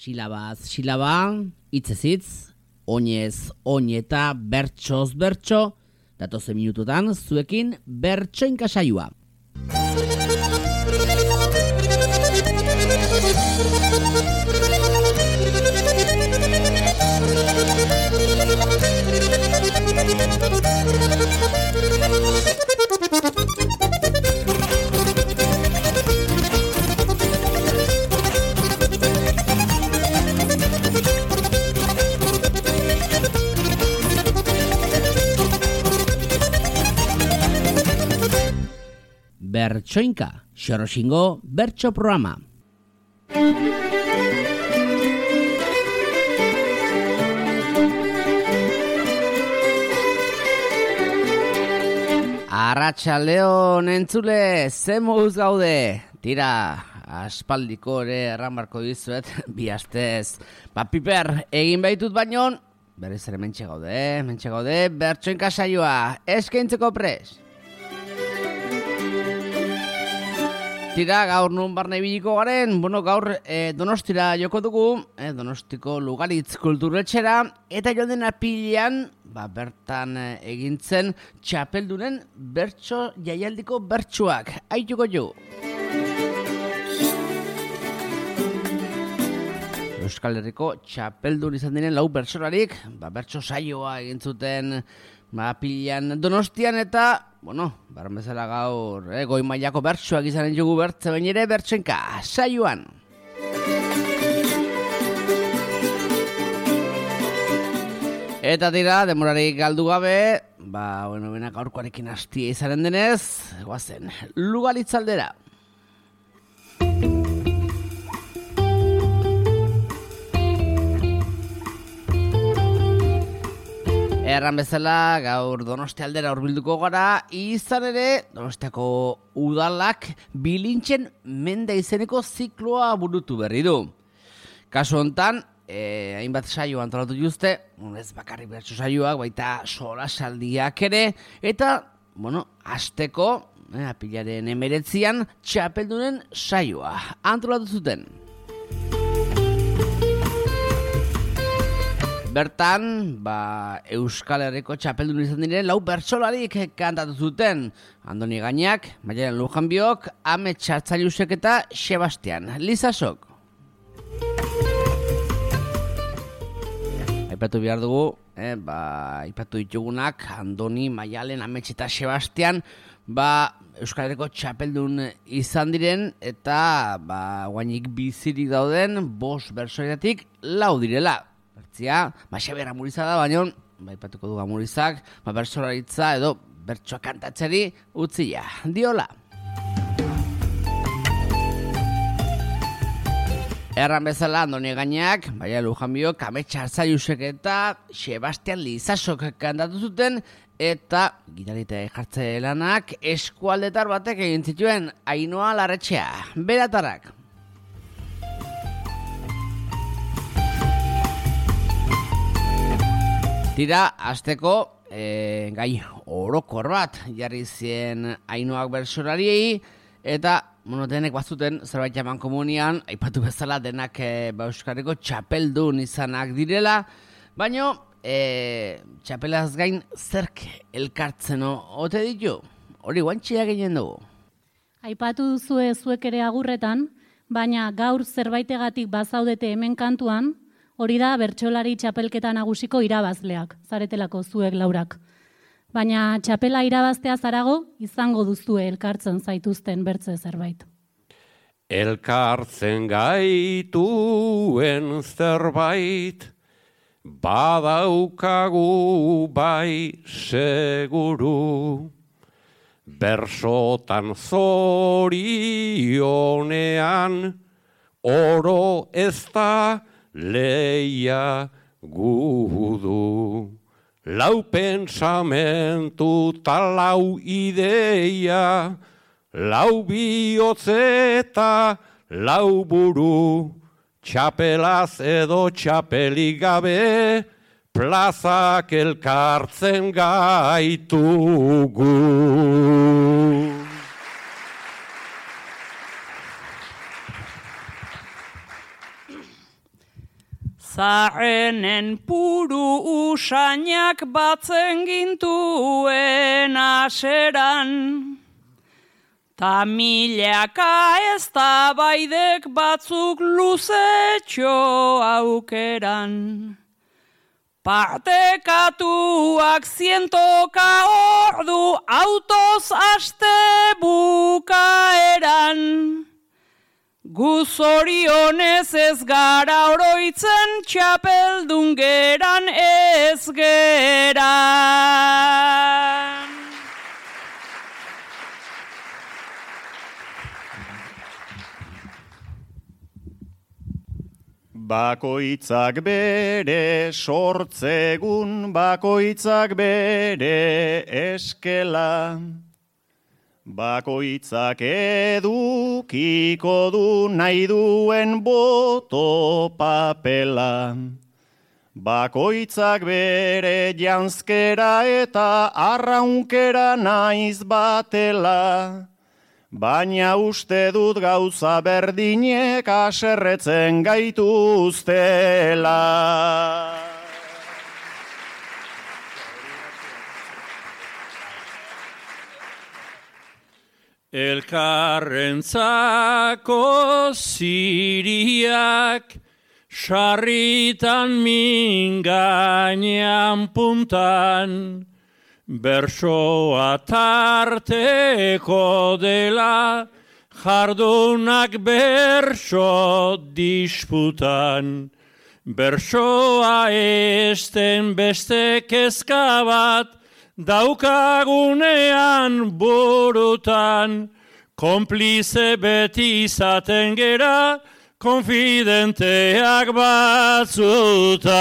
Silabaz silaba, hitzez hitz, oinez oineta, bertsoz bertso, datozen minututan zuekin bertsoinka saioa. Bertsoinka, Xoroxingo bertso programa. Arratsaldeon entzule, ze moduz gaude? Tira, aspaldiko ere erran barko dizuet, bi astez. Piper, egin behitut baino, berriz ere mentxe gaude, bertsoinka saioa, eskaintzeko pres. Tira, gaur nun barne biliko garen, gaur Donostira joko dugu, Donostiko Lugaritz kulturretxera, eta joan den apilean, bertan egintzen txapeldunen bertso jaialdiko bertsoak. Aituko jo! Euskal Herriko txapeldun izan diren 4 bertsolarik, bertso saioa egin zuten apilean Donostian eta, barren bezala gaur, goi mailako bertsoak izanen jugu bertze bain ere bertsoenka saioan. Eta tira, demorarik galdu gabe, bena gaurkoarekin hastia izanen denez, goazen, Lugaritz aldera. Erran bezala, gaur Donosti aldera hurbilduko gara, izan ere, Donostiako udalak bilintzen mende izeneko zikloa burutu berri du. Kasu hontan, hainbat saio antolatu juzte, ez bakarrik bertso saioak, baita solasaldiak ere, eta, hasteko, apilaren 19an, txapeldunen saioa antolatu zuten. Bertan, Euskal Herriko txapeldun izan diren 4 bertsolarik kantatu zuten. Andoni Gainak, Maialen Lujanbiok, Ame Txartzailusek eta Sebastian Lizasok. Aipatu behar dugu, aipatu ditugunak, Andoni, Maialen, Amets eta Sebastian, Euskal Herriko txapeldun izan diren, eta guainik bizirik dauden 5 bertsoetatik 4 direla. Bertzia, Xabier Amuriza da, baina, aipatuko du Amurizak, bertsolaritza edo bertsoa kantatzeri utzia diola. Erran bezala, Andoni Gainak, Maialen Lujanbiok, Ame Txartzailusek eta Sebastian Lizasok kantatu zuten, eta gitarite jartze lanak eskualdetar batek egin zituen Ainhoa Larretxea, beratarrak. Tira, hasteko gai orokor bat jarri zien Ainhoak bertsolariei, eta denek bazuten zerbait eman komunian, aipatu bezala denak Euskarriko txapeldun izanak direla, baina txapelaz gain zerk elkartzen ote ditu? Hori guantxea ginen dugu. Aipatu duzue zuek ere agurretan, baina gaur zerbaitegatik bazaudete hemen kantuan, hori da bertsolari txapelketa nagusiko irabazleak, zaretelako zuek 4ak. Baina txapela irabaztea zarago, izango duzue elkartzen zaituzten bertze zerbait. Elkartzen gaituen zerbait, badaukagu bai seguru. Bersotan zorionean, oro ez da leia gudu. 4 pensamentu ta 4 ideia, 4 bihotz eta 4 buru, txapelaz edo txapelik gabe, plazak elkartzen gaitugu. Zarrenen puru usainak batzen gintuen aseran, ta milaka ez da baidek batzuk luzetxo aukeran. Partekatuak 100 ordu autoz aste bukaeran. Gu zorionez ez gara oroitzen txapeldun geran ez geran. Bakoitzak bere sortzegun, bakoitzak bere eskela. Bakoitzak edukiko du nahi duen boto papela. Bakoitzak bere janzkera eta arraunkera naiz batela. Baina uste dut gauza berdinek aserretzen gaituztela. Elkarrentzako ziriak, sarritan min gainean puntan, bersoa tarteko dela, jardunak berso disputan. Bersoa esten beste kezka bat, daukagunean burutan, konplize beti izaten gera, konfidenteak batzutan.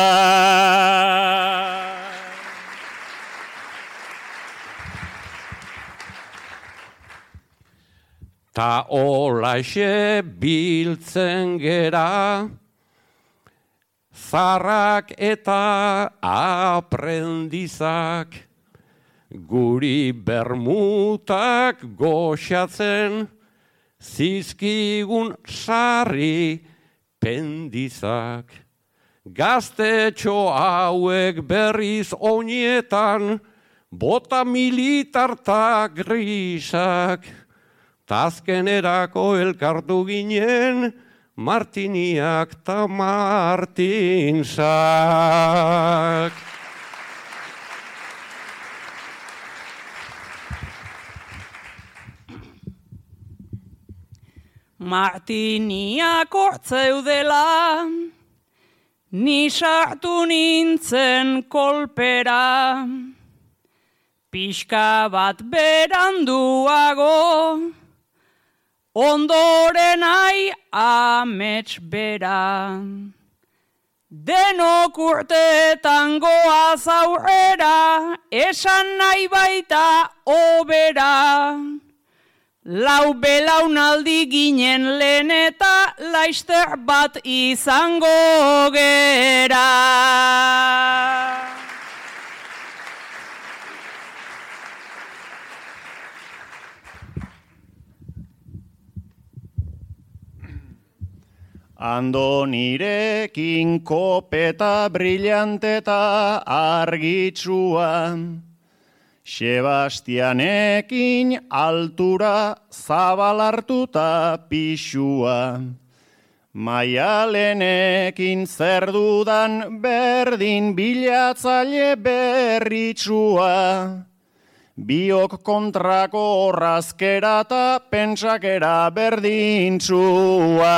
Ta olaxe biltzen gera, zarrak eta aprendizak, guri bermutak goxatzen, zizkigun sarri pendizak. Gaztetxo hauek berriz oinetan, bota militarta grisak, tazkenerako elkartu ginen, Martiniak ta Martinsak. Martiniak hortzeudela, ni sartu nintzen kolpera, pixka bat beranduago, ondoren ai amets bera. Denok urteetan goaz aurrera, esan nahi baita obera. Lau belaunaldi ginen lehen eta laister bat izango gera. Andonirekin kopeta brillante eta argitsua, Sebastianekin altura zabalartuta pixua, Maialenekin zer dudan berdin bilatzaile berritsua, biok kontrako horrazkera eta pentsakera berdintsua.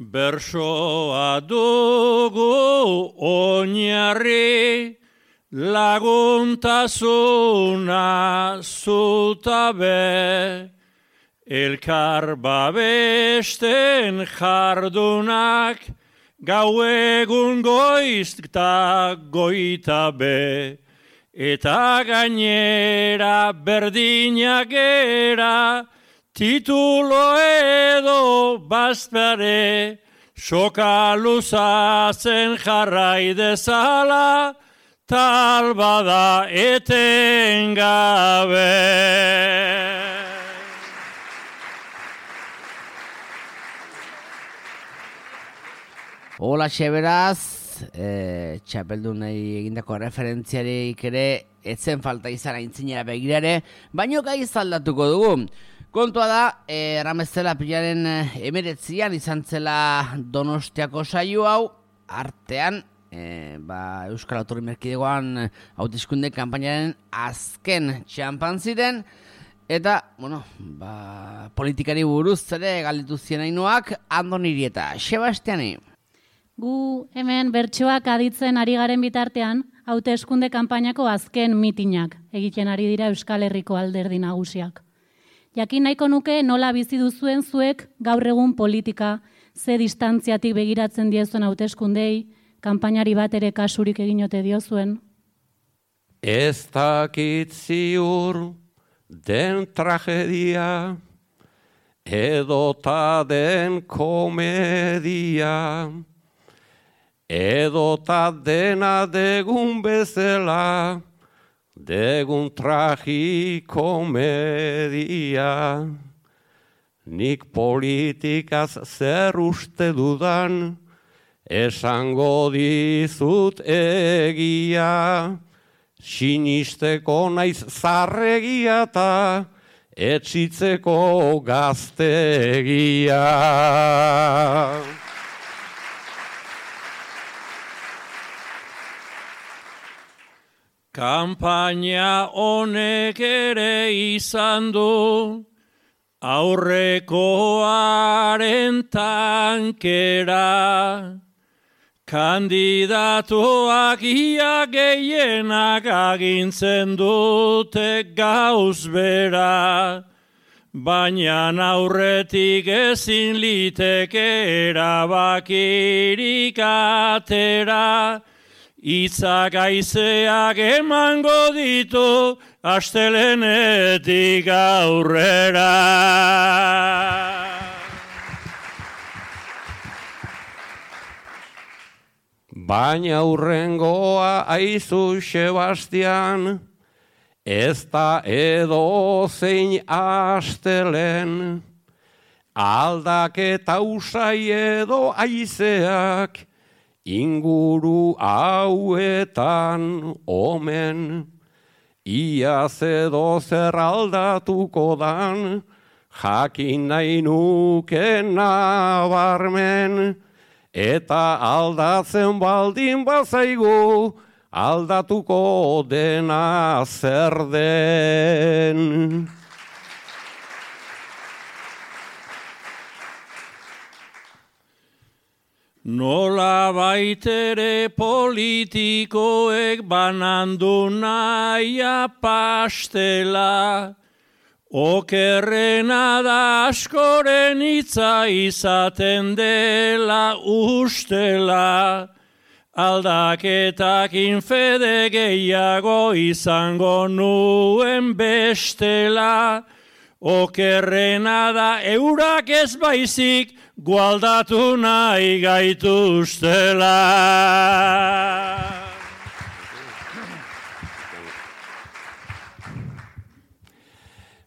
Bersoa dugu oinarri, laguntasuna zutabe, elkar babesten jardunak, gau egun goiz eta goitabe, eta gainera berdinak gera, titulo edo bazpare, soka luzatzen jarrai dezala, tal bada etengabe. Hola, beraz, txapeldunei egindako referentziarik ere etzen falta izan aintzinera begirare, baino gai zaldatuko dugu. Kontua da, erramezela pilaren 19 izan zela Donostiako saio hau, artean, Euskal Autonomia Erkidegoan hauteskunde kanpainaren azken txanpan ziren, eta, politikari buruz ere galditu zien Ainhoak, Andoni Irieta, Sebastiani. Gu hemen bertsoak aditzen ari garen bitartean, hauteskunde kanpainako azken mitinak egiten ari dira Euskal Herriko alderdi nagusiak. Jakin nahiko nuke nola bizi duzuen zuek gaur egun politika, ze distantziatik begiratzen diezuen hauteskundei, kanpainari bat ere kasurik egin ote diozuen. Ez dakit ziur den tragedia, edota den komedia, edota dena degun bezala, degun tragikomedia. Nik politikaz zer uste dudan, esango dizut egia, sinisteko naiz zarregia eta etxitzeko gaztegia. Kanpaina honek ere izan du aurrekoaren tankera, kandidatuak ia gehienak agintzen dute gauz bera, baina aurretik ezin liteke erabakirik atera, hitzak haizeak emango ditu astelenetik aurrera. Baina hurrengoa aizu Sebastian, ez da edo zein astelen, aldaketa usai edo aizeak, inguru hauetan omen, iaz edo zer aldatuko dan, jakin nahi nuke nabarmen, eta aldatzen baldin bazaigu, aldatuko dena zer den. Nola baitere politikoek banandu naia pastela, okerrena da askoren hitza izaten dela ustela, aldaketak infede gehiago izango nuen bestela, okerrena da eurak ez baizik gualdatu nahi gaituztela.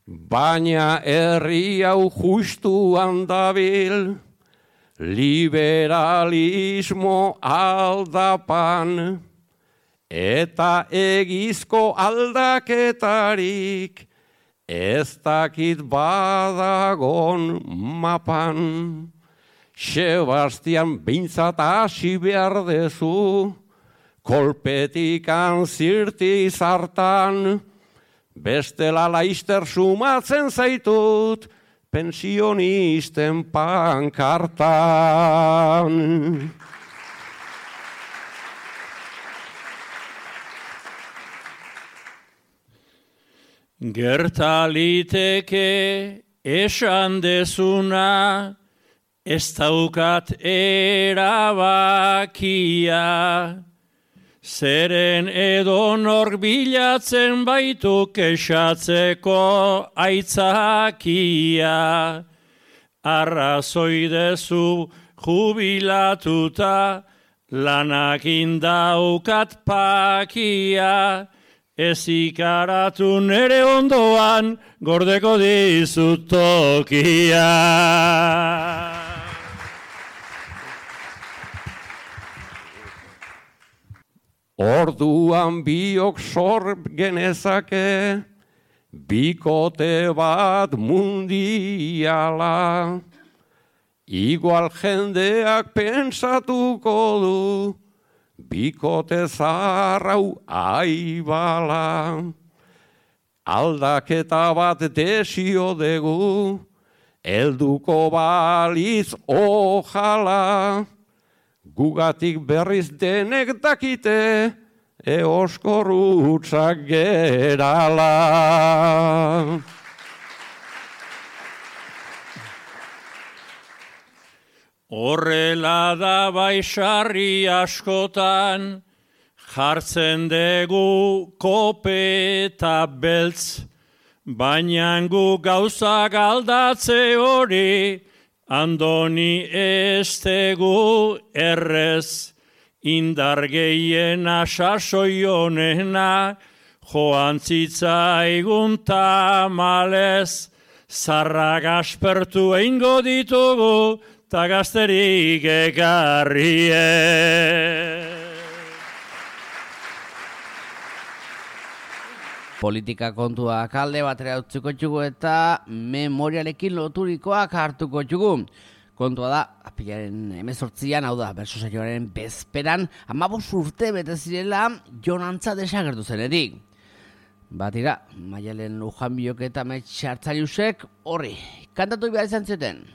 Baina herri hau justuan dabil, liberalismo aldapan, eta egizko aldaketarik, ez dakit badagon mapan. Sebastian behintzat hasi behar dezu, kolpetikan zirti zartan, bestela laister sumatzen zaitut, pensionisten pankartan. Gertaliteke esan dezuna, ez daukat erabakia, zeren edonork bilatzen baitu kexatzeko aitzakia. Arrazoi dezu jubilatuta, lanakin daukat pakia, ez ikaratu nere ondoan, gordeko dizut tokia. Orduan biok sor genezake, bikote bat mundiala. Igual jendeak pentsatuko du, bikote zarrau aibala. Aldaketa bat desio dugu, helduko baliz ojala. Gugatik berriz denek dakite, eoskorrutzak gerala. Horrela da baixarri askotan, jartzen dugu kopeta beltz, baina gu gauzak aldatze hori, andoni ez tegu errez, indar gehiena sasoi honena, joan zitzaigun tamalez, zarrak aspertu eingo ditugu, ta gazterik ekarrie. Politika kontuak alde batera utziko txugu eta memoriarekin loturikoak hartuko txugu. Kontua da, apilaren 18an, hau da, berso saioaren bezperan, 15 urte bete zirela Jon Antza desagertu zenetik. Batira, Maialen Lujanbiok eta Metxartzariusek horri, kantatu behar izan zuten.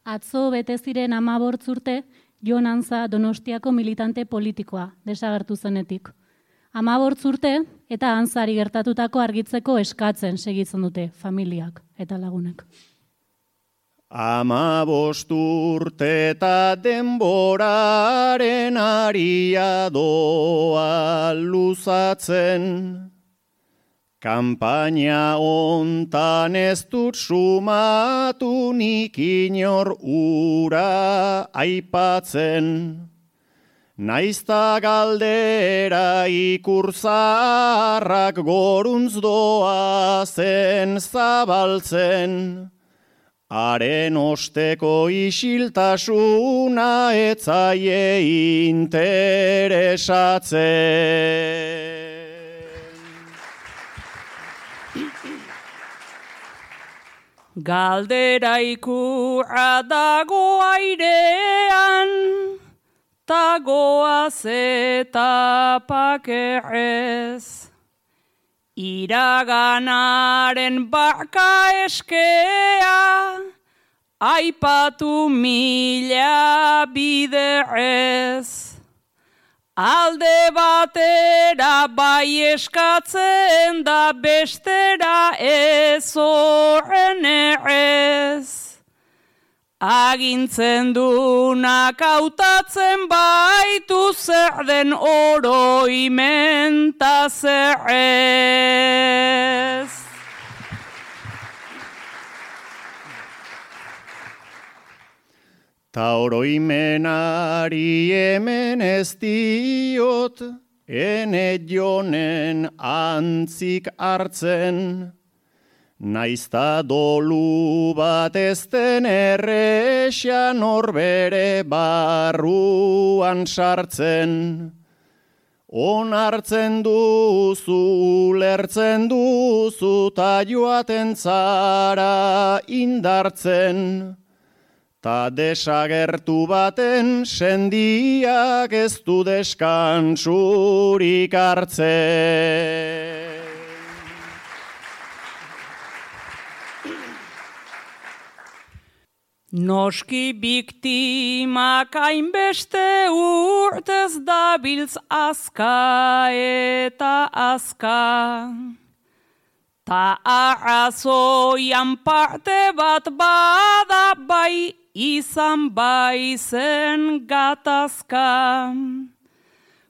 Atzo bete ziren 15 urte Jon Antza Donostiako militante politikoa desagertu zenetik. 15 urte eta Antzari gertatutako argitzeko eskatzen segitzen dute familiak eta lagunak. 15 urte eta denboraren aria doa luzatzen. Kampaina hontan ez dut sumatu nik inor ura aipatzen. Naizta galdera ikurzarrak goruntz doa zen zabaltzen. Haren osteko isiltasuna etzaie interesatzen. Galdera ikurra dago airean, tagoaz eta pakerrez. Iraganaren barka eskea, aipatu mila biderrez. Alde batera bai eskatzen da bestera ez horren errez. Agintzen dunak hautatzen baitu zer den oroimen ta zer ez. Ta oroimenari hemen ez diot, ene Jonen antzik hartzen. Naizta dolu bat ez den errexia norbere barruan sartzen. Onartzen duzu, lertzen duzu, ta joaten zara indartzen. Ta desagertu baten sendiak ez du deskantsurik hartzen. Noski biktimak hainbeste urtez dabiltz azka eta azka. Ta arrazoian parte bat bada bai izan bai zen gatazka.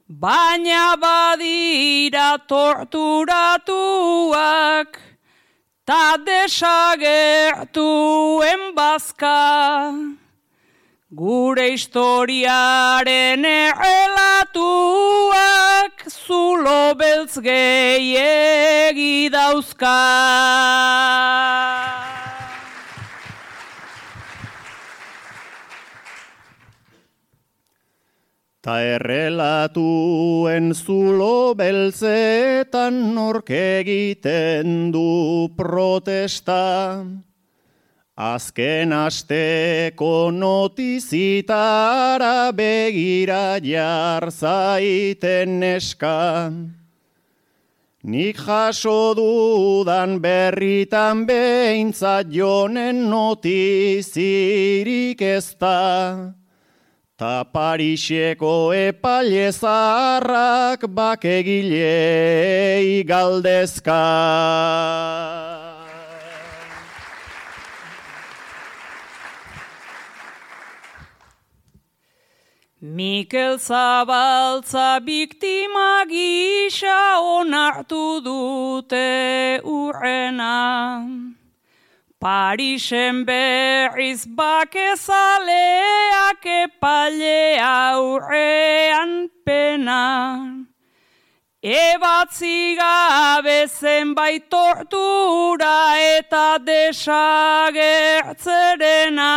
Baina badira torturatuak, ta desagertuen bazka. Gure historiaren errelatuak zulo beltz gehiegi dauzka. Ta errelatuen zulo beltzetan nork egiten du protesta. Azken asteko notizitara begira jar zaiten neska. Nik jaso dudan berritan behintzat jonen notizirik ez da. Ta Pariseko epaile zaharrak bakegilei galdezka. Mikel Zabaltza biktima gisa onartu dute urrena. Parisen berriz bakezaleak epailea aurrean pena. Ebatzi gabe zenbait tortura eta desagertzerena.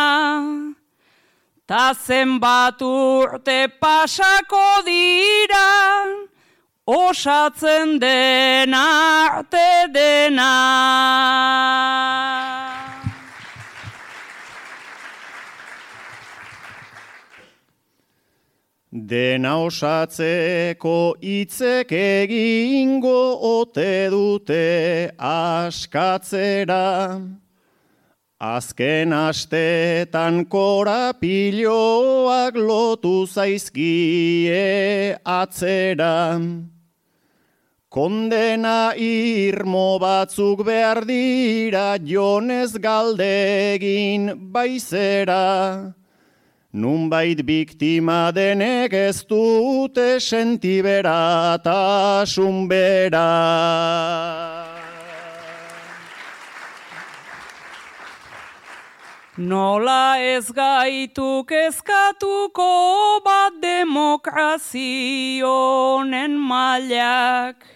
Ta zenbat urte pasako dira, osatzen dena arte dena. Dena osatzeko hitzek egingo ote dute askatzera. Azken astetan korapiloak lotu zaizkie atzera. Kondena irmo batzuk behar dira jonez galdegin baizera. Nunbait biktima denek ez dute sentiberatasun bera. Nola ez gaitu kezkatuko bat demokrazionen mailak.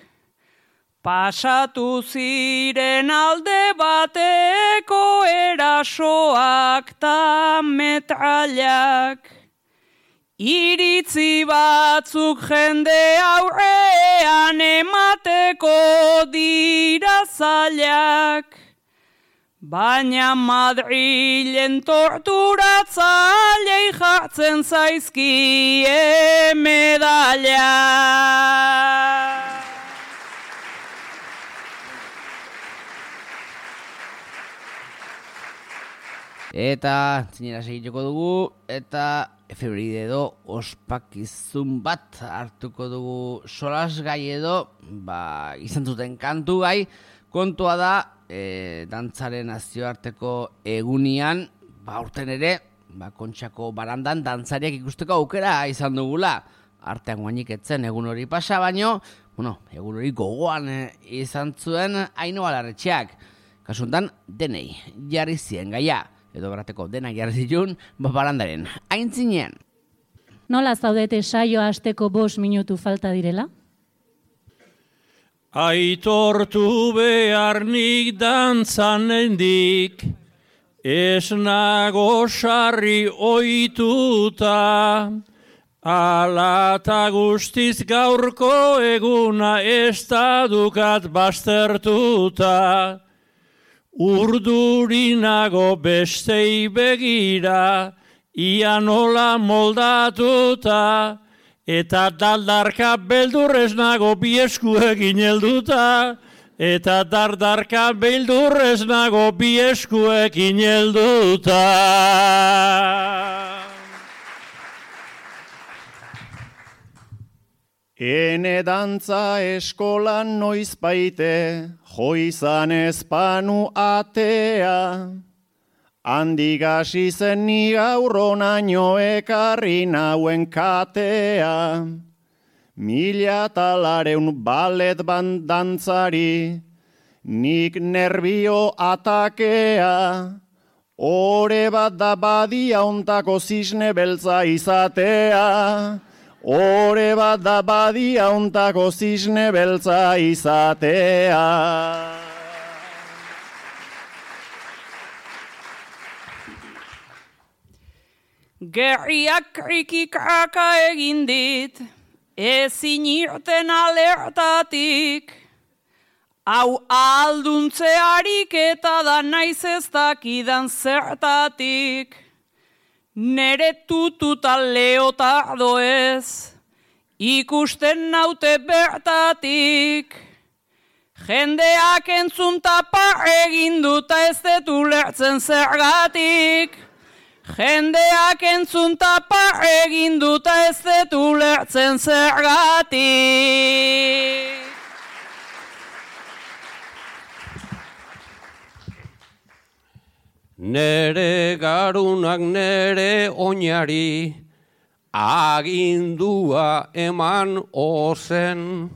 Pasatu ziren alde bateko erasoak ta metrailak. Iritzi batzuk jende aurrean emateko dira zailak. Baina Madrilen torturatzailei jartzen zaizkie medaila. Eta zinera segituko dugu, eta efebride edo ospakizun bat hartuko dugu solasgai edo, izan zuten kantu gai, kontua da, dantzaren nazioarteko egunian, aurten ere, Kontxako barandan dantzariak ikusteko aukera izan dugula. Artean guainik etzen egun hori pasa, baino, egun hori gogoan izan zuen Ainhoa Larretxeak. Kasuntan, denei jarri zien gaia, edo berateko denak jarri zituen, barandaren aintzinean. Nola zaudete saioa hasteko 5 minutu falta direla? Aitortu behar nik dantzanendik, ez nago sarri ohituta, ala eta guztiz gaurko eguna ez da dukat baztertuta. Urdurinago bestei begira, ia nola moldatuta, eta dardarka beldurrez nago bieskuekin helduta, eta dardarka beldurrez nago bieskuekin helduta. Ene dantza eskolan noiz baite, joizan ezpanu atea. Handik hasi zen ni gaurronaino ekarri nauen katea. 1000 ballet dantzari, nik nerbio atakea. Ore bat da badia ontako zisne beltza izatea. Ore bat da badia ontako zisne beltza izatea. Gerriak krikikaka egin dit, ezin irten alertatik. Hau alduntzearik eta da naiz ez dakidan zertatik. Nere tututa leotardo ez, ikusten naute bertatik. Jendeak entzun tapa egin duta ez dut ulertzen zergatik. Jendeak entzun tapa egin duta ez dut ulertzen zergatik. Nere garunak nere oinari, agindua eman ozen.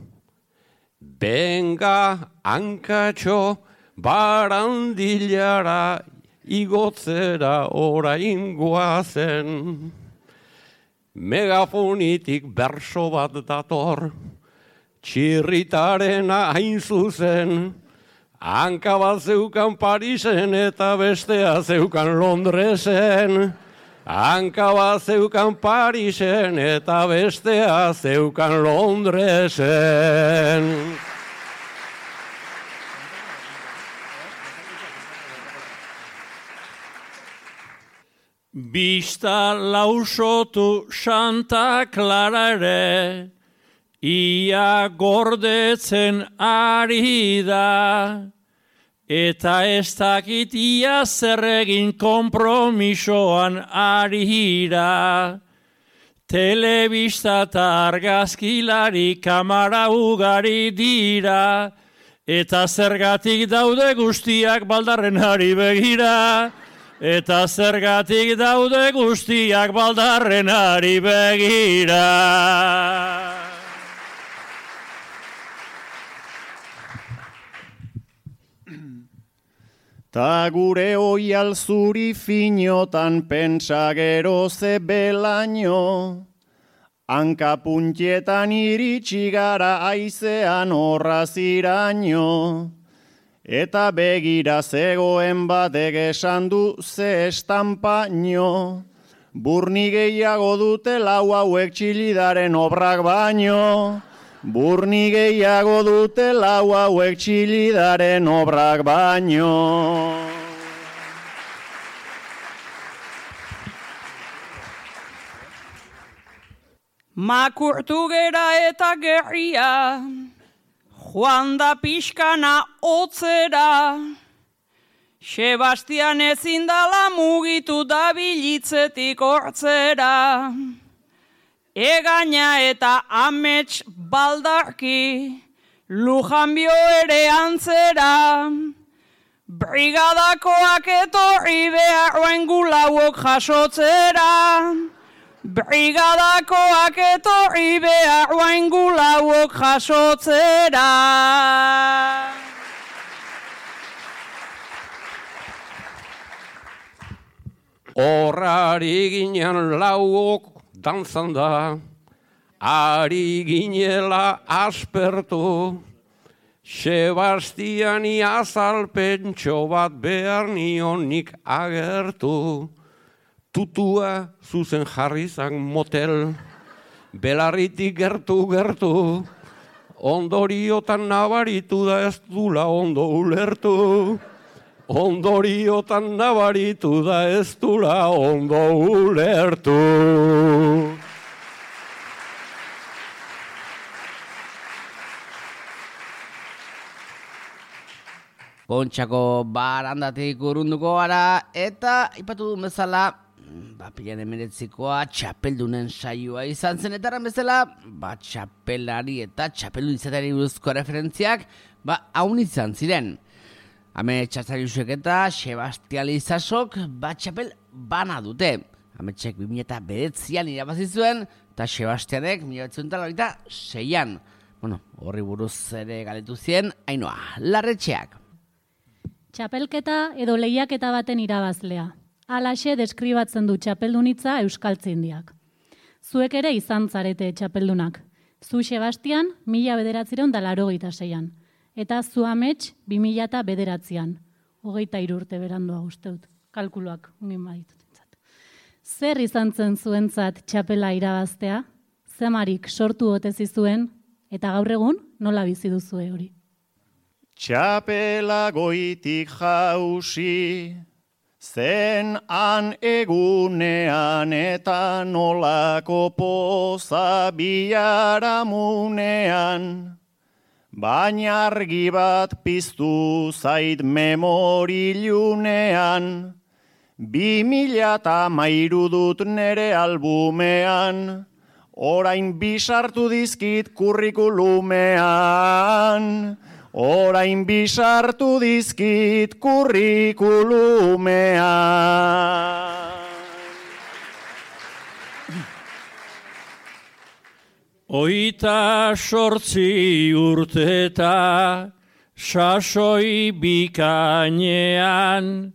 Benga hankatxo barandilara, igotzera orain goazen. Megafonitik berso bat dator, txirritarena hain zuzen. Hanka bat zeukan Parisen eta bestea zeukan Londresen. Hanka bat zeukan Parisen eta bestea zeukan Londresen. Bista lausotu Santa Clara ere, ia gordetzen ari da, eta ez dakit ia zer egin konpromisoan ari da. Telebista eta argazkilari kamara ugari dira, eta zergatik daude guztiak baldarrenari begira. Eta zergatik daude guztiak baldarrenari begira. Ta gure oial zuri finotan pentsa gero ze belaino, hanka puntietan iritsi gara aizean horraziraino, eta begira zegoen batek esan du ze estampaino, burni gehiago dute lau hauek txilidaren obrak baino. Burni gehiago dute lau hauek txilidaren obrak baino. Makurtu gera eta gerria, joan da pixkana otzera. Sebastian ezin dala mugitu da bilitzetik hortzera. Egaina eta amets baldarki, Lujanbio ere antzera. Brigadakoak etorri beharroen gulauok jasotzera. Brigadakoak etorri beharroen gulauok jasotzera. Horrari ginen lauok dantzan da, ari ginela aspertu, Sebastiani azalpentxo bat behar nionik agertu, tutua zuzen jarrizan motel, belarritik gertu, ondoriotan nabaritu da ez dula ondo ulertu. Ondoriotan nabaritu da ez dula ondo ulertu. Kontxako barandatik urrunduko gara eta ipatu du bezala, pilan 19koa txapeldunen saioa izan zen eta bezala, txapelari eta txapeldun izateari buruzko referentziak, haun izan ziren. Hame Txatzariusek eta Sebastian Lizasok txapel bana dute. Hame txek 2009an irabazi zuen eta Sebastianek 1996an. Horri buruz ere galetu zien, Ainhoa Larretxeak. Txapelketa edo lehiaketa baten irabazlea. Halaxe deskribatzen du txapeldunitza Euskaltzaindiak. Zuek ere izan zarete txapeldunak. Zu Sebastian 1986an. Eta zu amets 2009an. 23 urte berandua usteut. Kalkuluak ungin baditut. Zer izan zen zuentzat txapela irabaztea? Zemarik sortu ote zizuen eta gaur egun nola bizi duzue hori? Txapela goitik jausi, zen han egunean eta nolako poza biharamunean. Baina argi bat piztu zait memorilunean, 2013 dut nere albumean, orain bisartu dizkit kurrikulumean. Orain bisartu dizkit kurrikulumean. Oita 8 urteta sasoi bikainean,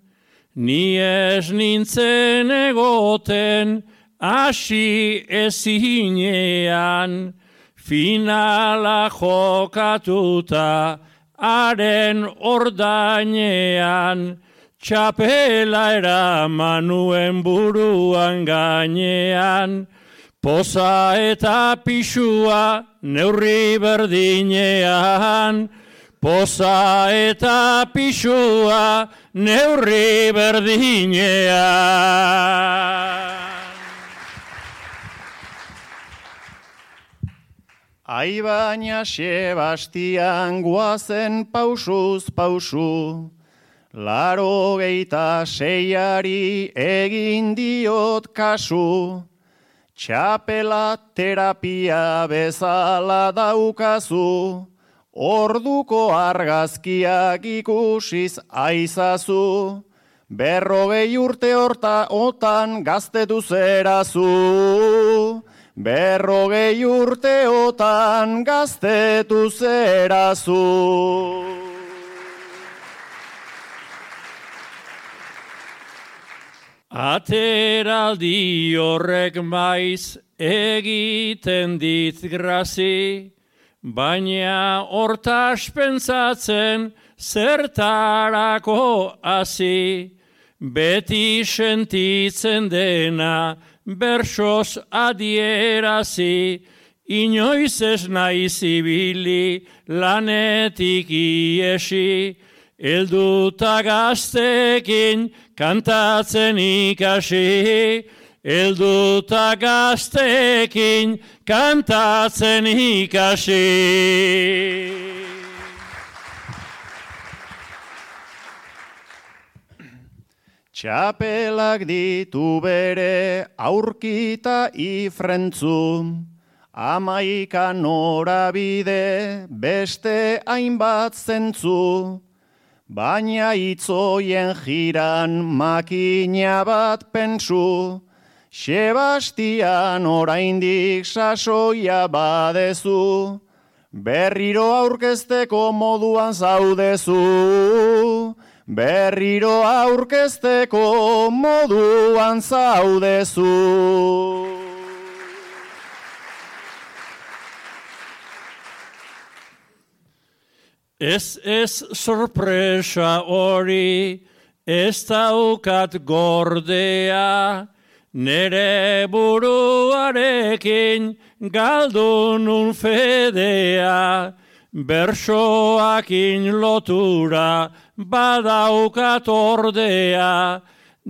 ni ez nintzen egoten hasi ezinean, finala jokatuta haren ordainean, txapela eraman nuen buruan gainean, poza eta pisua neurri berdinean, poza eta pisua neurri berdinean. Ai baina Sebastian guazen pausuz pausu, 86 egin diot kasu, txapela terapia bezala daukazu, orduko argazkiak ikusiz aizazu, 40 urte otan gaztetu zerazu. 40 urteotan gaztetu zerazu. Ateraldi horrek maiz egiten dit grazi, baina hortaz pentsatzen zertarako hasi, beti sentitzen dena bersoz adierazi, inoiz ez naiz ibili lanetik iesi, helduta gaztekin kantatzen ikasi, helduta gaztekin kantatzen ikasi. Txapelak ditu bere aurkita ifrentzu, 11 norabide beste hainbat zentzu, baina itzoien jiran makina bat pentsu, Sebastian oraindik sasoia badezu, berriro aurkezteko moduan zaudezu. Berriro aurkezteko moduan zaudezu. Ez sorpresa hori, ez daukat gordea, nere buruarekin galdu nun fedea, bersoakin lotura badaukat ordea,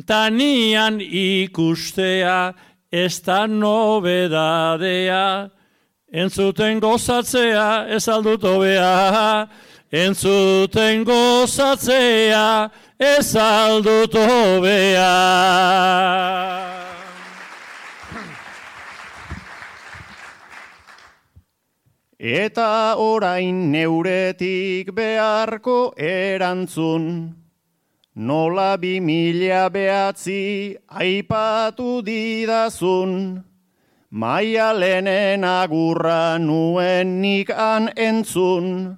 tanian ikustea ez da nobedadea, entzuten gozatzea ez aldut hobea, entzuten gozatzea ez aldut hobea. Eta orain neuretik beharko erantzun, nola 2009 aipatu didazun, Maialenen agurra nuen nik han entzun,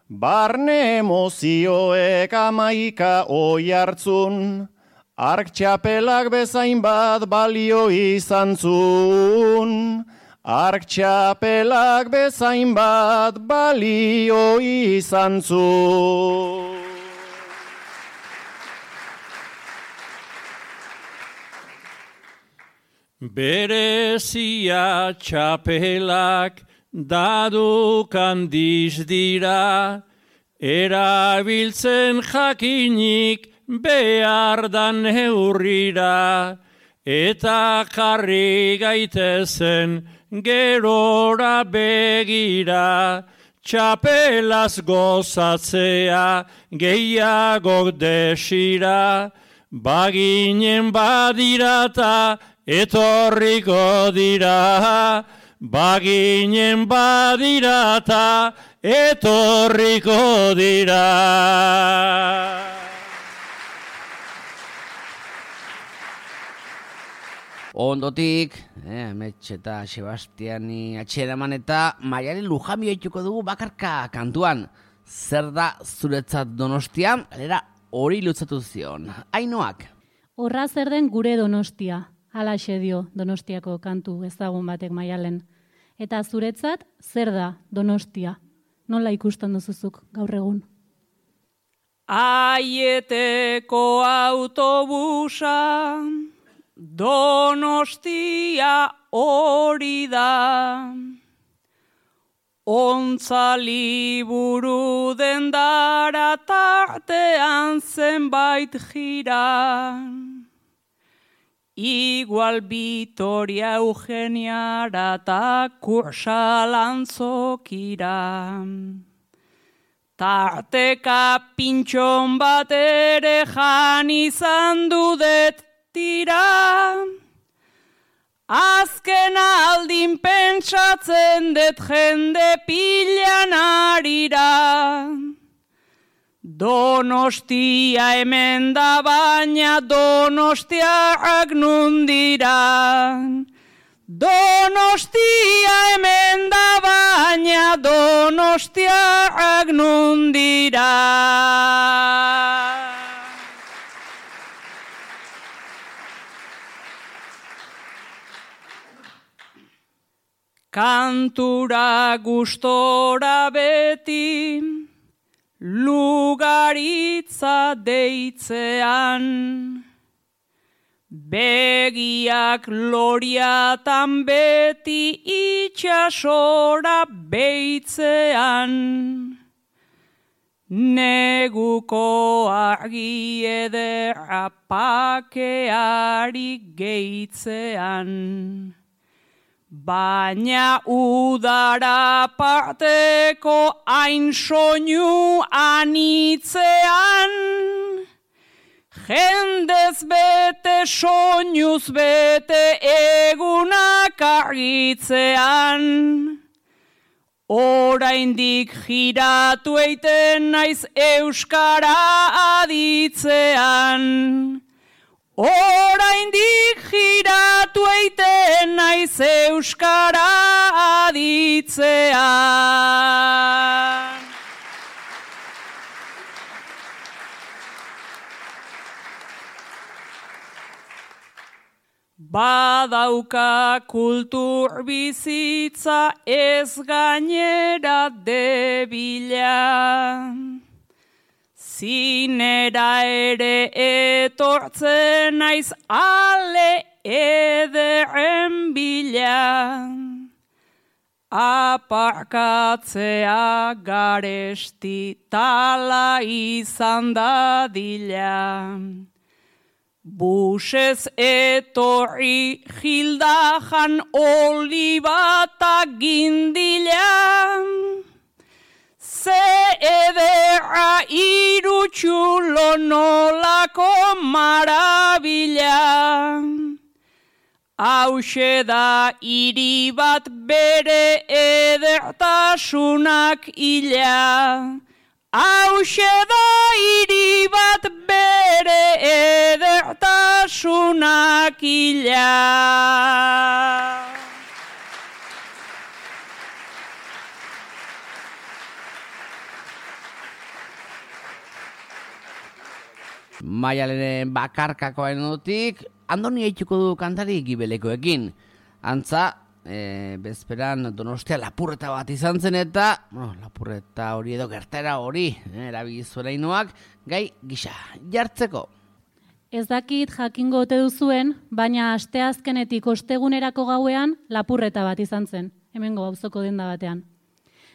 barne emozioek 11 oihartzun, ark txapelak bezain bat balio izan zun. Ark txapelak bezain bat balio izan zu. Berezia txapelak dadukan dira, erabiltzen jakinik behar da neurrira, eta jarri gaitezen gerora begira, txapelaz gozatzea gehiagok desira, baginen badirata etorriko dira, baginen badirata etorriko dira. Ondotik, Metxe eta Sebastiani atxeraman eta Maialen Lujambio dituko dugu bakarka kantuan. Zer da zuretzat Donostia? Galera hori lutzatu zion. Ainoak. Horra zer den gure Donostia, halaxe dio Donostiako kantu ezagun batek Maialen. Eta zuretzat zer da Donostia? Nola ikusten duzuzuk gaur egun? Aieteko autobusa, Donostia hori da. Ontza liburu dendara tartean zenbait jira. Igual Vitoria Eugeniara eta Kursalantzokira. Tarteka pintxon bat ere jan izan dudet tira. Azken aldin pentsatzen dut jende pilan arira. Donostia hemen da baina Donostiak nundira. Donostia hemen da baina Donostiak nundira. Kantura gustora beti, lugaritza deitzean, begiak loriatan beti itxasora beitzean, neguko argi ederra pakeari geitzean. Baina udara parteko hain soinu anitzean, jendez bete soinuz bete egunak argitzean. Oraindik jiratu eiten naiz euskara aditzean. Oraindik jiratu eiten naiz euskara aditzean. Badauka kultur bizitza ez gainera debila. Zinera ere etortzen naiz ale ederren bila. Aparkatzea garesti tala izan dadila. Busez etorri Gildajan olibata gindila. Ze ederra irutxulo nolako marabila. Hauxe da hiri bat bere edertasunak ila. Hauxe da hiri bat bere edertasunak ila. Maialenen bakarkakoen dutik, Andoni eituko du kantari Gibelekoekin. Antza, bezperan Donostia lapurreta bat izan zen eta, lapurreta hori edo gertera hori, erabili zuela Ainoak, gai gisa jartzeko. Ez dakit jakingo ote duzuen, baina asteazkenetik ostegunerako gauean lapurreta bat izan zen, hemengo auzoko denda batean.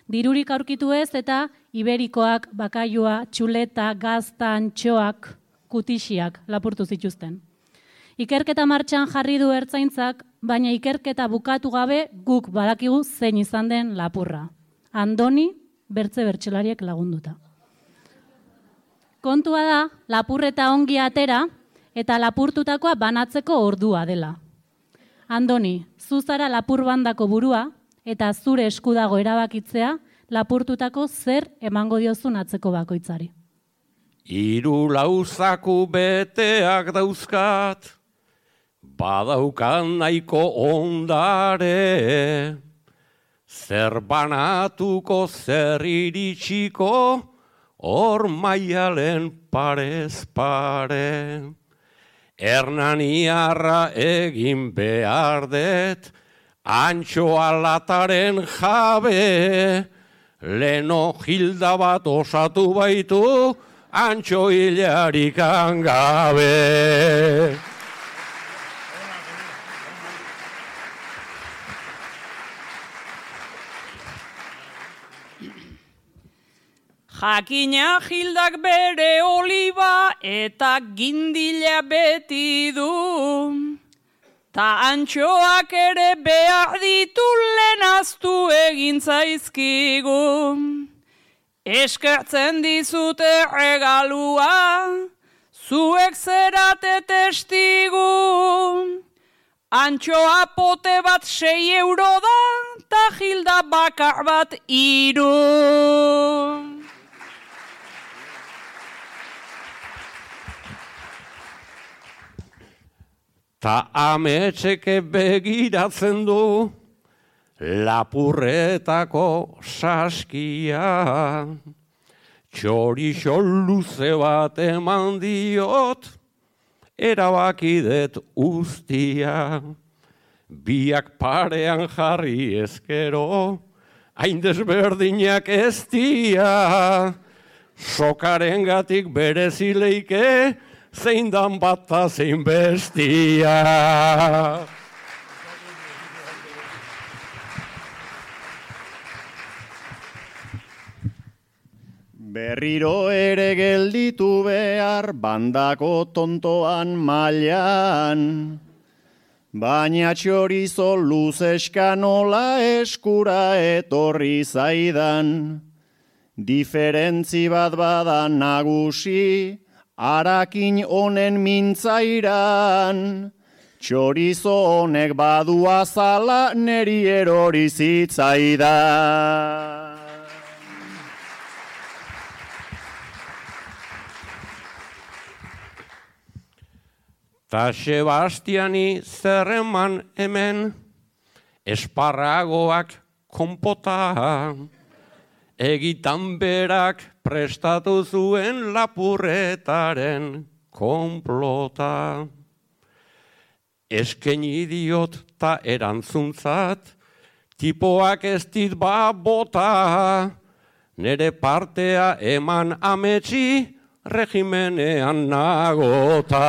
Dirurik aurkitu ez eta iberikoak, bakailua, txuleta, gazta, antxoak, kutixiak lapurtu zituzten. Ikerketa martxan jarri du ertzaintzak, baina ikerketa bukatu gabe guk badakigu zein izan den lapurra. Andoni bertsolariek lagunduta. Kontua da, lapurreta ongi atera eta lapurtutakoa banatzeko ordua dela. Andoni, zu zara lapurbandako burua eta zure esku dago erabakitzea lapurtutako zer emango diozun atzeko bakoitzari. 3 lauzaku beteak dauzkat, badaukan nahiko ondare, zer banatuko zer iritsiko, hor maialen parez pare. Hernaniarra egin behar det, antxoa lataren jabe, leno Hilda bat osatu baitu, antxo hilarikan gabe. Jakina Hildak bere oliba eta gindila beti du. Ta antxoak ere behar ditu lehenaztu egin zaizkigu. Eskertzen dizute regalua, zuek zerate testigu. Antxoa pote bat 6 euro da, ta Hilda bakar bat 3. Ta ametxeke begiratzen du lapurretako saskia. Txorixo luze bat eman diot, erabakidet ustia. Biak parean jarri ezkero, hain desberdinak ez dia. Sokarengatik berezileike, zein dan bata zein bestia. Berriro ere gelditu behar bandako tontoan mailan, baina txorizo luzeska nola eskura etorri zaidan. Diferentzi bat bada nagusi, harakin honen mintzairan, txorizo honek badu azala neri erori zitzaidan. Ta Sebastiani zerreman hemen, esparragoak konpota, egitan berak prestatu zuen lapurretaren konplota. Eskeni diot ta erantzuntzat, tipoak ez dit bota, nere partea eman ametsi, regimenean nagota.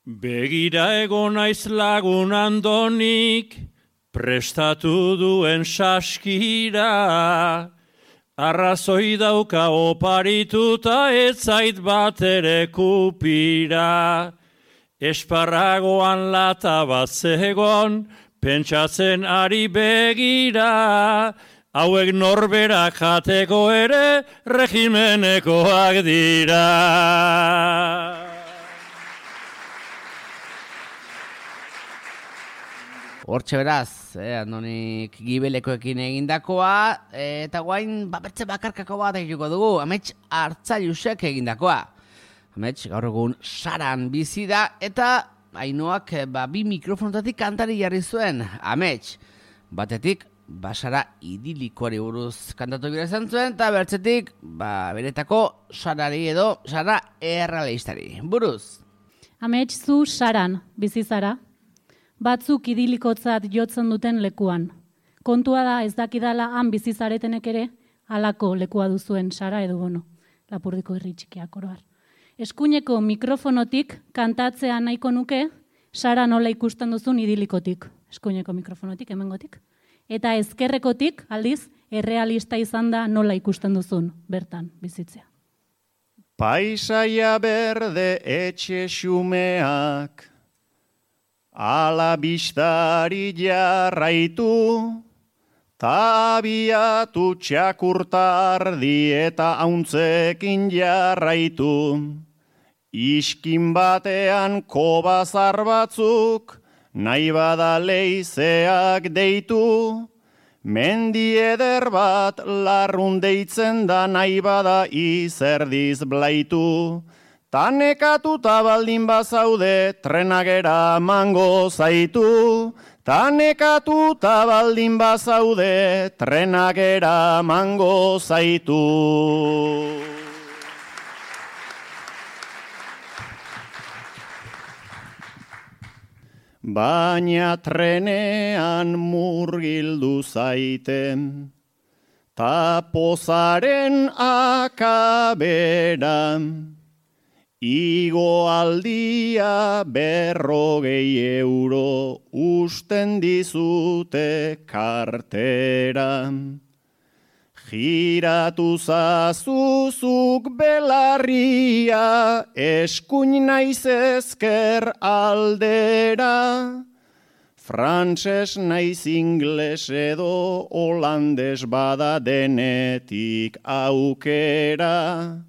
Begira egon naiz lagun Andonik, prestatu duen saskira, arrazoi dauka oparituta ez zait bat ere kupira. Esparragoan lata bat zegon, pentsatzen ari begira, hauek norberak jateko ere regimenekoak dira. Hortxe beraz, Andonik gibelekoekin egindakoa, eta guain babertze bakarkako bat egiko dugu, amets Hartzailusek egindakoa. Amets gaur egun Saran bizi da, eta Ainoak 2 mikrofonotatik kantari jarri zuen. Amets, batetik, Sara idilikoari buruz kantatu gira izan zuen, eta bertzetik, beretako Sarari edo Sara errealistari buruz. Amets, zu Saran bizi zara. Batzuk idilikotzat jotzen duten lekuan. Kontua da ez dakidala han bizizaretenek ere halako lekua duzuen Sara edo Bono, Lapurdiko herri txikiak oroar. Eskuineko mikrofonotik kantatzea nahiko nuke, Sara nola ikusten duzun idilikotik, eskuineko mikrofonotik, hemengotik. Eta ezkerrekotik, aldiz, errealista izan da nola ikusten duzun, bertan, bizitzea. Paisaia berde etxe xumeak, ala bistari jarraitu, tabiatu txakurtardi eta hauntzekin jarraitu. Iskin batean kobazar batzuk, nahi bada leizeak deitu, mendi eder bat larrun deitzen da nahi bada izerdiz blaitu. Tanekatuta baldin bazaude trenagera mango zaitu. Tanekatuta baldin bazaude trenagera mango zaitu. Baina trenean murgildu zaiten, ta pozaren akabera, igo aldia 50 euro usten dizute kartera. Giratu zazuzuk belarria, eskuin naiz ezker aldera. Frantses naiz ingles edo holandes bada denetik aukera.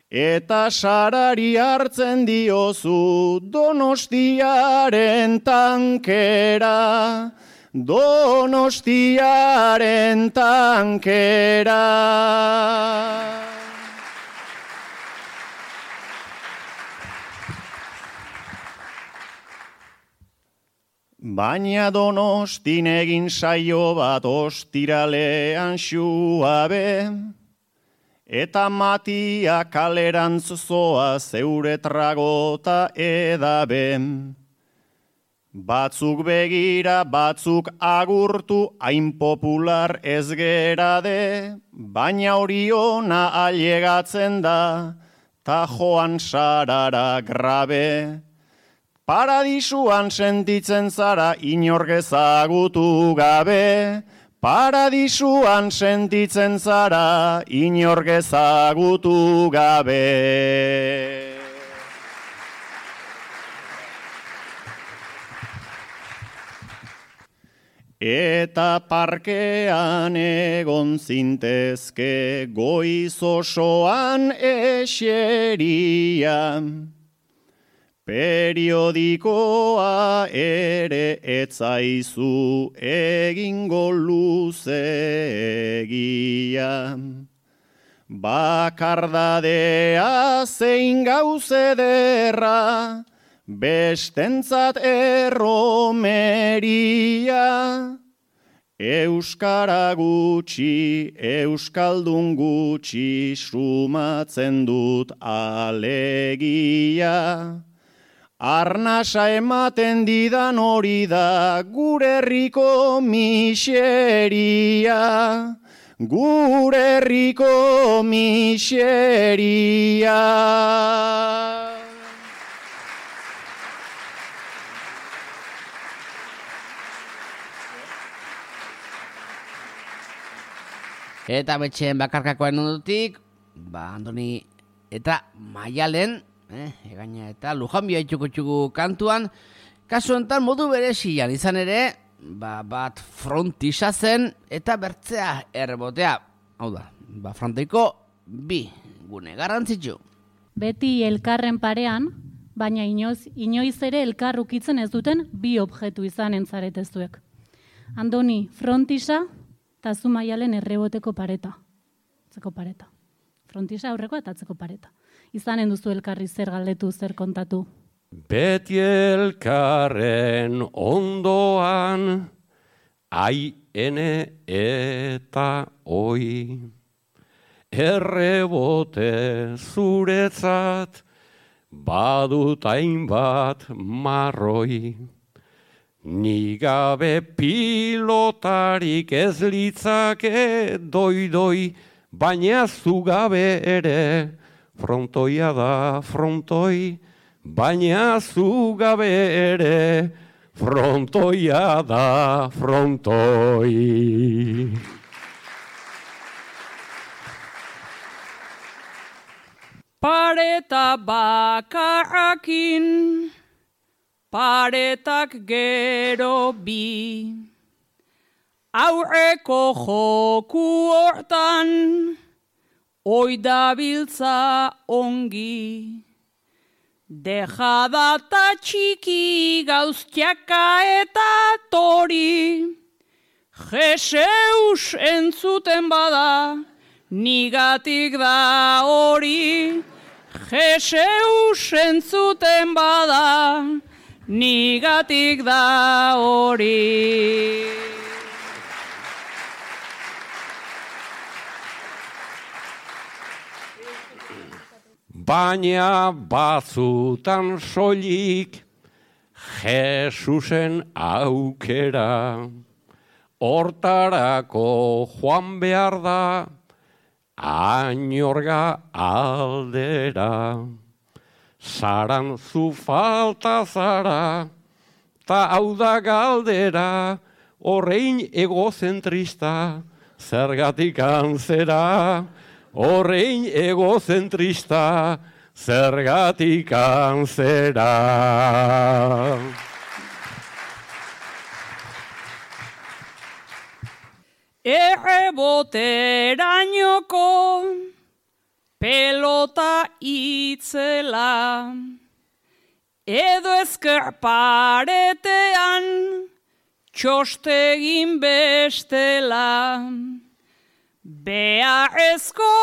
Eta Sarari hartzen diozu Donostiaren tankera. Donostiaren tankera. Baina Donostin egin saio bat ostiralean xuabe, eta Matia kalerantz zoa zeure tragota edabe. Batzuk begira, batzuk agurtu, hain popular ez gerade, baina hori ona ailegatzen da, ta joan Sarara grabe. Paradisuan sentitzen zara inork ezagutu gabe, paradisuan sentitzen zara inork ezagutu gabe. Eta parkean egon zintezke goiz osoan eseria. Periodikoa ere etzaizu egingo luzegia. Bakardadea zein gauzederra, bestentzat erromeria. Euskara gutxi, euskaldun gutxi, sumatzen dut alegia. Arnasa ematen didan hori da gure herriko miseria. Gure herriko miseria. Eta betxeen bakarkakoen ondotik, Andoni eta Maialen, egaina eta Lujanbio txuku kantuan, kasu honetan modu berezian izan ere, bat frontisa zen eta bertzea errebotea. Hau da, fronteiko bi gune garrantzitsu. Beti elkarren parean, baina inoiz ere elkar ukitzen ez duten bi objektu izanen zaretezuek. Andoni, frontisa, eta zu Maialen erreboteko pareta. Atzeko pareta. Frontisa aurrekoa eta atzeko pareta. Izanen duzu elkarri zer galdetu, zer kontatu. Beti elkarren ondoan, ai, ene eta oi. Errebote zuretzat, badut hainbat marroi. Ni gabe pilotarik ez litzake doi-doi, baina zu gabe ere frontoia da frontoi, baina zu gabe ere frontoia da frontoi. Pareta bakarrakin, paretak gero bi. Aurreko joku hortan, oidabiltza ongi. Dejadata txiki gauztiaka eta tori. Jeseus entzuten bada, nigatik da hori. Jeseus entzuten bada, nigatik da hori. Baina batzutan soilik Jesusen aukera, hortarako joan behar da Añorga aldera. Zaran zu falta zara, ta hau da galdera, horrein egozentrista, zergatik antzera. Horrein egozentrista, zergatik antzera. Erreboterainoko pelota itzela, edo ezker paretean txostegin bestela. Beharrezko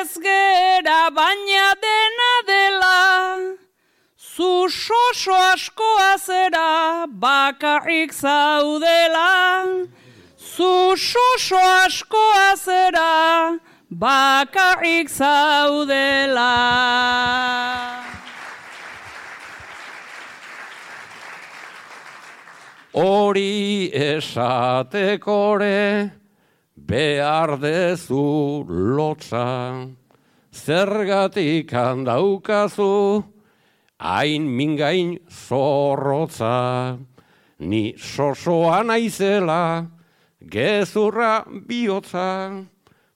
ez gera baina dena dela, zu soso askoa zera bakarrik zaudela. Zu soso askoa zera bakarrik zaudela. Hori esatekore behar dezu lotza, zergatik handaukazu hain mingain zorrotza. Ni sosoa naizela gezurra bihotza,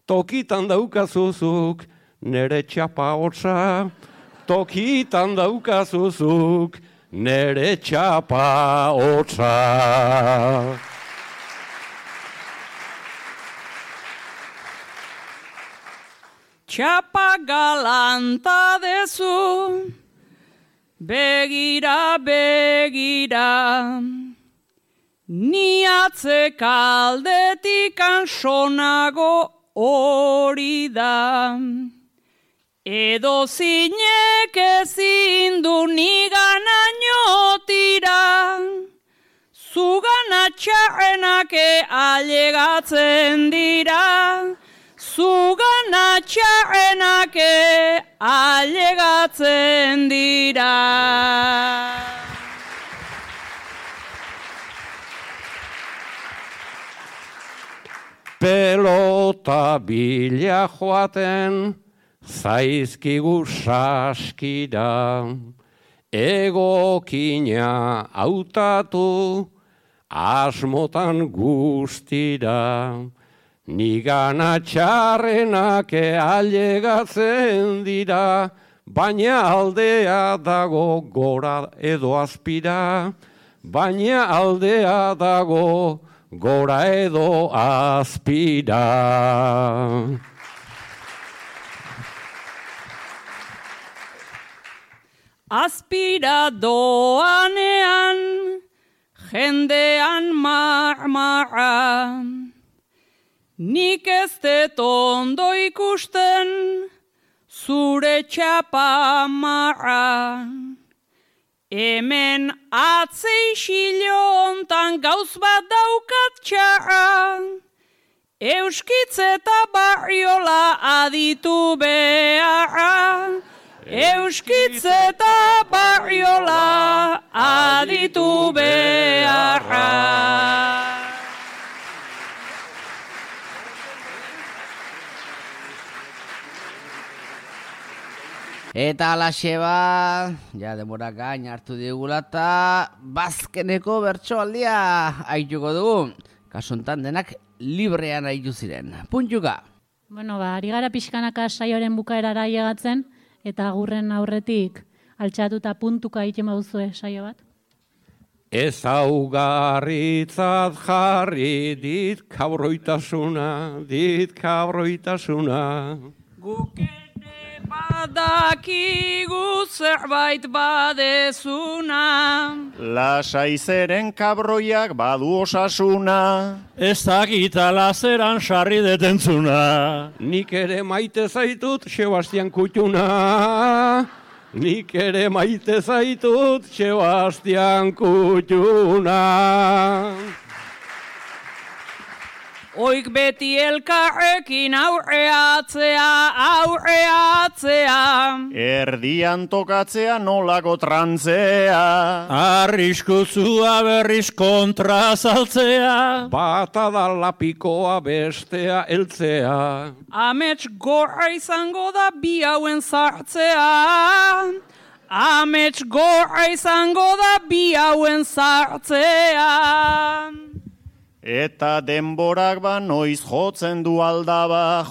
tokitan daukazuzuk nere txapa hotza, tokitan daukazuzuk nere txapa hotza. Txapa galanta dezu, begira, begira, ni atzekaldetik ansonago hori da. Edo zinek ezin du niganaino tira, zugana txarrenak ailegatzen dira. Zugana txarrenak ailegatzen dira. Pelota bila joaten zaizkigu saskira, egokina hautatu asmotan guztira. Nigana txarrenak ailegatzen dira, baina aldea dago gora edo azpira. Baina aldea dago gora edo azpira. Azpira doanean, jendean marmara. Nik ez dut ondo ikusten, zure txapa marra. Hemen atzei xilontan gauz bat daukat txarra. Euskitz eta barriola aditu beharra. Euskitze eta barriola aditu beharra. Eta alaxe ba, ja demora gain hartu digula eta bazkeneko bertsoaldia aituko dugu. Kasuntan denak librean aitu ziren. Puntuka. Bueno, ari gara pixkanaka saioaren bukaerara llegatzen, eta agurren aurretik altxatuta puntuka egiten bauzue saio bat. Ezaugarritzat jarri dit kabroitasuna. Guk ere badakigu zerbait badezuna. Lasai zeren kabroiak badu osasuna. Ez dakita lazeran sarri detentzuna. Nik ere maite zaitut Sebastian Kutxuna. Nik ere maite zaitut Sebastian Kutxuna. Oik beti elkarrekin aurreatzea. Erdian tokatzea nolako trantzea. Arriskuzua berriz kontra saltzea. Bata da lapikoa bestea heltzea. Amets gorra izango da bi hauen sartzea. Amets gorra izango da bi hauen sartzea. Eta denborak ba noiz jotzen du aldaba.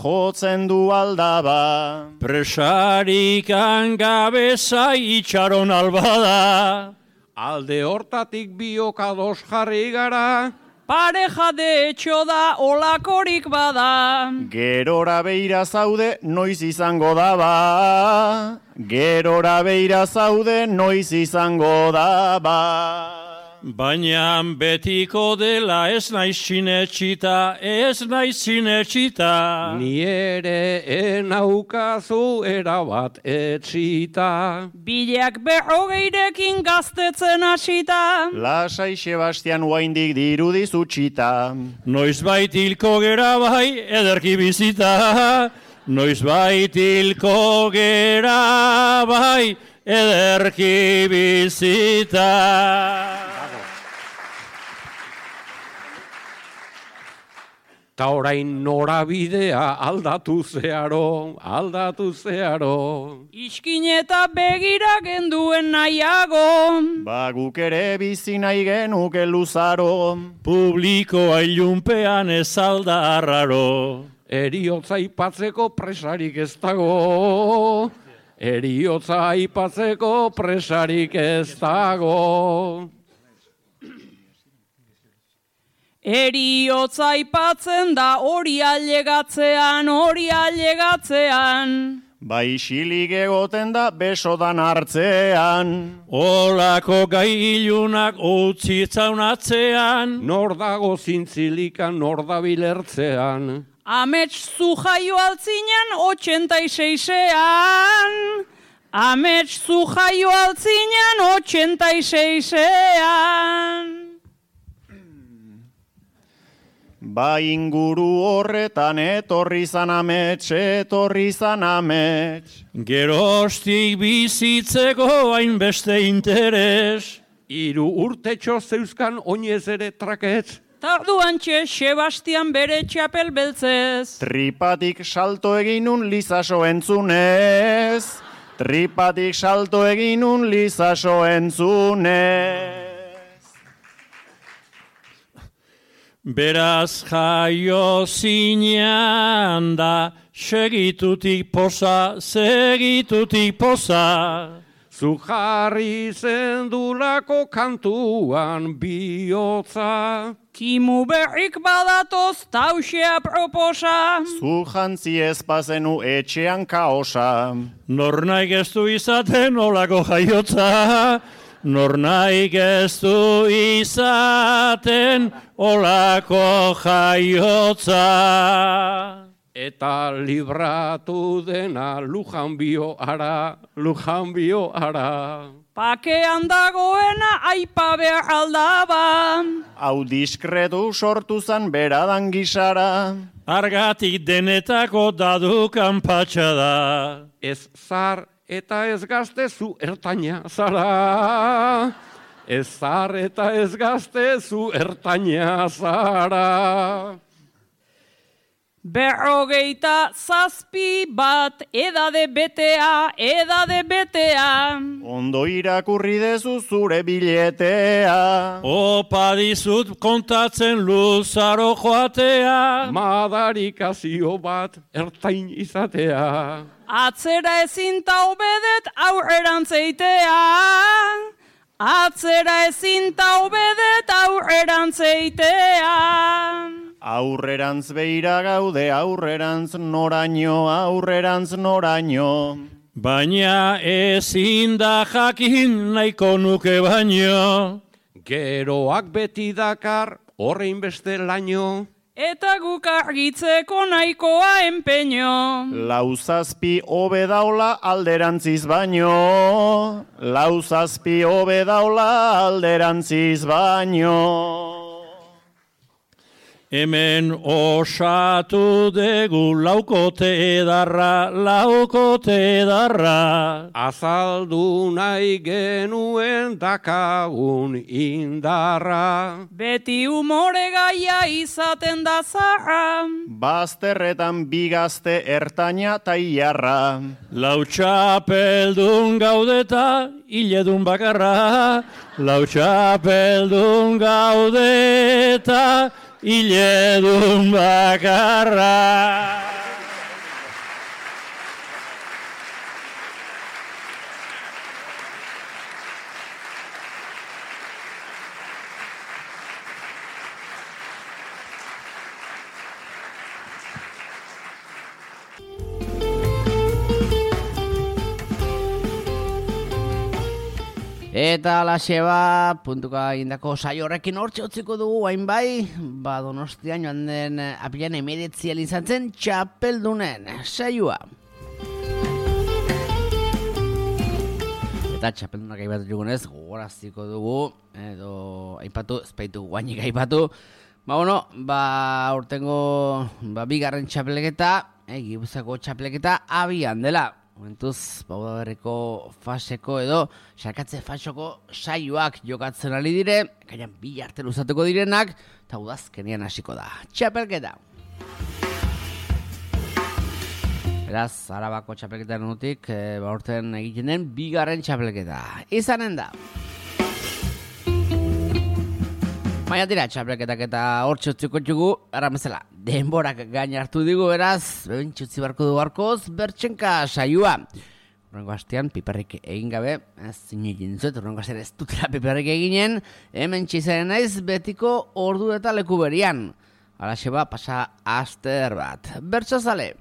Presarik angabeza itxaron albada. Alde hortatik biok ados jarri gara. Pareja de etxo da olakorik bada. Gerora beira zaude noiz izango daba. Baina betiko dela ez naiz sinetxita. Ni ere enaukazu erabat etxita. Bileak 40 gaztetzen hasita. Lasai Sebastian oaindik dirudi zutxita. Noizbait hilko gera bai ederki bizita. Noizbait hilko gera bai ederki bizita. Ta orain norabidea aldatu zeharo. Iskin eta begira genduen nahiago. Ba guk ere bizi nahi genuke luzaro. Publikoa ilunpean ez alda arraro. Eriotza aipatzeko presarik ez dago. Eriotza aipatzen da hori ailegatzean. Ba isilik egoten da besodan hartzean. Olako gai ilunak utzi zaunatzean. Nor dago zintzilikan, nor da bilertzean. Amets zu jaio altzinen 86ean. Amets zu jaio altzinen 86ean. Ba inguru horretan etorri zan amets. Gerostik bizitzeko hainbeste interes. 3 urtetxo zeuzkan oinez ere traketz. Tarduantxe Sebastian bere txapel beltzez. Tripatik salto eginun lizaso entzunez. Beraz jaio zinean da, segitutik poza. Zu jarri zendulako kantuan bihotza. Kimu berrik badatoz tausea proposa. Zu jantzi ez bazenu etxean kaosa. Nor naik ez du izaten olako jaiotza. Nor naik ez du izaten olako jaiotza. Eta libratu dena lujan bio ara. Pakean dagoena aipa behar aldaba. Hau diskretu sortu zan beradan gisara. Argatik denetako dadukan patxada. Ez zar eta ez gazte zu ertaina zara. Ez zar eta ez gazte zu ertaina zara. 57 edade betea. Ondo irakurri dezu zure biletea. Opa dizut kontatzen luzaro joatea. Madarikazio bat ertain izatea. Atzera ezin taubedet aurrerantz-eitea. Atzera ezin taubedet aurrerantz-eitea. Aurrerantz beira gaude, aurrerantz noraino. Baina ezin da jakin nahiko nuke baino. Geroak beti dakar horrein beste laino. Eta guk argitzeko nahikoa empeño. 7 hobe daula alderantziz baino. 7 hobe daula alderantziz baino. Hemen osatu dugu laukote edarra. Azaldu nahi genuen dakagun indarra. Beti umore gaia izaten da zarra. Bazterretan bigazte ertaina taiarra. Lautxapeldun gaudeta hiledun bakarra. Lautxapeldun gaudeta hiledun bakarra. Eta alaxeba, puntuka indako saio horrekin hortxe utziko dugu, hain bai, Donostian joan den apilan 19 izan zen txapeldunen saioa. Eta txapeldunak aipatu dugunez, gogoraziko dugu, edo aipatu, espaitu guainik aipatu. Urtengo bigarren txapeleketa, Gipuzkoako txapeleketa abian dela. Momentuz, Udaberriko faseko edo sakatze fasoko saioak jokatzen ari dire, kainan 2 arte luzatuko direnak, eta udazkenean hasiko da. Txapelketa! Beraz, Arabako txapelketaren utik, urten egiten den bigarren txapelketa. Izanen da. Baina tira, txapelketak eta hortxe utziko txugu, erramezela, denborak gain hartu digu, beraz, bebintxutzi barko du barkoz, bertxenka saioa. Urrengo hastean, piperrik egin gabe, zinegin zuet, urrengo hastean ez dutela piperrik eginen, hemen txizaren naiz betiko ordu eta leku berian. Alaxeba, pasa aster bat. Bertso zale!